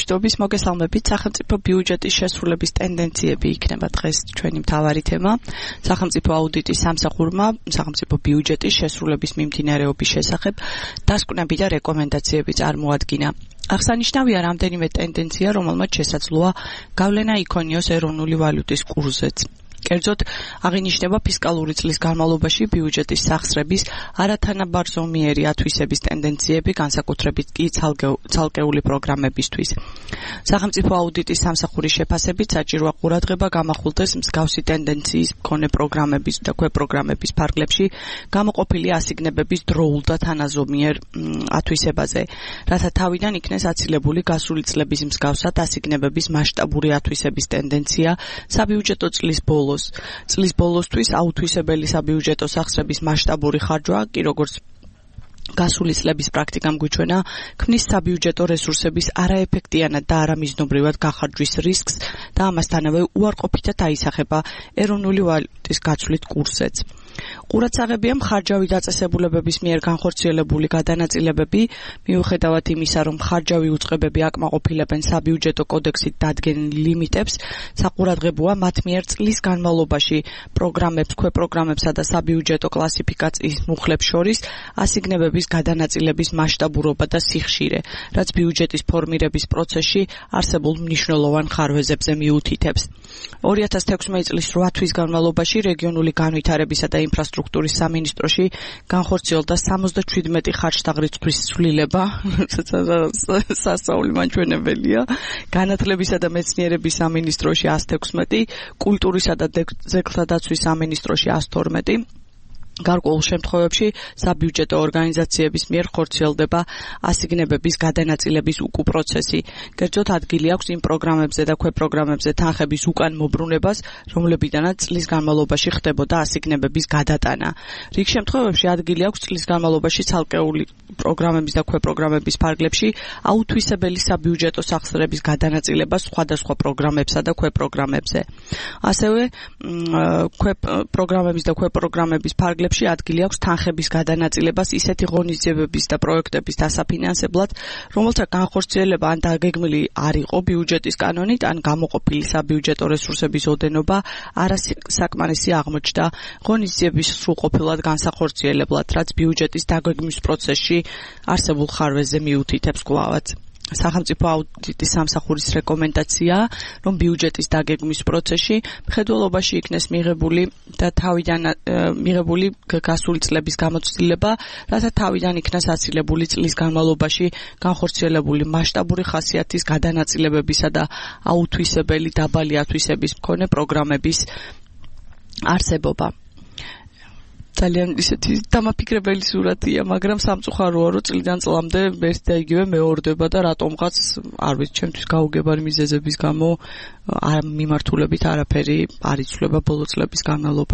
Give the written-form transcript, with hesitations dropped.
მშვიდობის, მოგესალმებით. სახელმწიფო ბიუჯეტის შესრულების ტენდენციები იქნება დღეს ჩვენი მთავარი თემა. სახელმწიფო აუდიტის სამსახურმა სახელმწიფო ბიუჯეტის შესრულების მიმდინარეობის შესახებ დასკვნები და რეკომენდაციები წარმოადგინა. აღსანიშნავია რამდენიმე ტენდენცია, რომელმაც შესაძლოა გავლენა იქონიოს ეროვნული ვალუტის კურსზეც. კერძოდ, აღინიშნება ფისკალური წლის განმავლობაში ბიუჯეტის სახსრების არათანაბარზომიერი ათვისების ტენდენციები, განსაკუთრებით კი ცალკეული პროგრამებისთვის. სახელმწიფო აუდიტის სამსახურის შეფასებით საჭიროა ყურადღება გამახვილდეს მსგავსი ტენდენციის მქონე პროგრამების და ქვეპროგრამების ფარგლებში გამოყოფილი ასიგნებების დროულ და თანაზომიერ ათვისებაზე, რათა თავიდან იქნეს აცილებული გასული წლების მსგავსად ასიგნებების მასშტაბური ათვისების ტენდენცია საბიუჯეტო წლის ბოლოს. წლის ბოლოსთვის აუთვისებელი საბიუჯეტო სახსრების მასშტაბური ხარჯვა, კი როგორც გასული წლების პრაქტიკამ გვიჩვენა, ქმნის საბიუჯეტო რესურსების არაეფექტიანად და არამიზნობრივად გახარჯვის რისკს და ამასთანავე უარყოფითად აისახება ეროვნული ვალუტის გაცვლით კურსზეც. ყურადსაღებია მხარჯავი დაწესებულებების მიერ განხორციელებული გადანაწილებები, მიუხედავად იმისა, რომ მხარჯავი უწყებები აკმაყოფილებენ საბიუჯეტო კოდექსით დადგენილ ლიმიტებს, საყურადღებოა მათ მიერ წლის განმავლობაში პროგრამებს, ქვეპროგრამებსა და საბიუჯეტო კლასიფიკაციის მუხლებს შორის ასიგნებების გადანაწილების მასშტაბურობა და სიხშირე, რაც ბიუჯეტის ფორმირების პროცესში არსებულ მნიშვნელოვან ხარვეზებზე მიუთითებს. 2016 წლის 8 თვის განმავლობაში რეგიონული განვითარებისა და ინფრასტრუქტურის სამინისტროში განხორციელდა 77 ხარჯთაღრიცხვის ცვლილება, სასწაული მაჩვენებელია, განათლებისა და მეცნიერების სამინისტროში 116, კულტურისა და ძეგლთა დაცვის სამინისტროში 112. გარკვეულ შემთხვევებში საბიუჯეტო ორგანიზაციების მიერ ხორციელდება ასიგნებების გადანაწილების უკუპროცესი. კერძოდ ადგილი აქვს იმ პროგრამებზე და ქვეპროგრამებზე თანხების უკან მობრუნებას, რომლებიდანაც წლის განმავლობაში ხდებოდა ასიგნებების გადატანა. რიგ შემთხვევებში ადგილი აქვს წლის განმავლობაში ცალკეული პროგრამების და ქვეპროგრამების ფარგლებში აუთვისებელი საბიუჯეტო სახსრების გადანაწილება სხვადასხვა პროგრამებსა და ქვეპროგრამებზე. ასევე პროგრამების და ქვეპროგრამების ფარგლებში ადგილი აქვს თანხების გადანაწილებას ისეთი ღონისძიებების და პროექტების დასაფინანსებლად, რომელთა განხორციელება ან დაგეგმილი არ იყო ბიუჯეტის კანონით, ან გამოყოფილი საბიუჯეტო რესურსების ოდენობა არასაკმარისი აღმოჩნდა ღონისძიების სრულყოფილად განსახორციელებლად, რაც ბიუჯეტის დაგეგმვის პროცესში არსებულ ხარვეზზე მიუთითებს კვლავაც. სახელმწიფო აუდიტის სამსახურის რეკომენდაცია, რომ ბიუჯეტის დაგეგმვის პროცესში მხედველობაში იქნეს მიღებული გასული წლების გამოცდილება, რათა თავიდან იქნას აცილებული წლის განმავლობაში განხორციელებული მასშტაბური ხასიათის გადანაწილებებისა და აუთვისებელი დაბალი ათვისების მქონე პროგრამების არსებობა. ძალიან ისეთი დამაფიქრებელი სურათია, მაგრამ სამწუხაროა, რომ წლიდან წლამდე ერთ და იგივე მეორდება და რატომღაც არ ვიცი, ჩემთვის გაუგებარი მიზეზების გამო მიმართულებით არაფერი არ იცვლება ბოლო წლების განმავლობაში.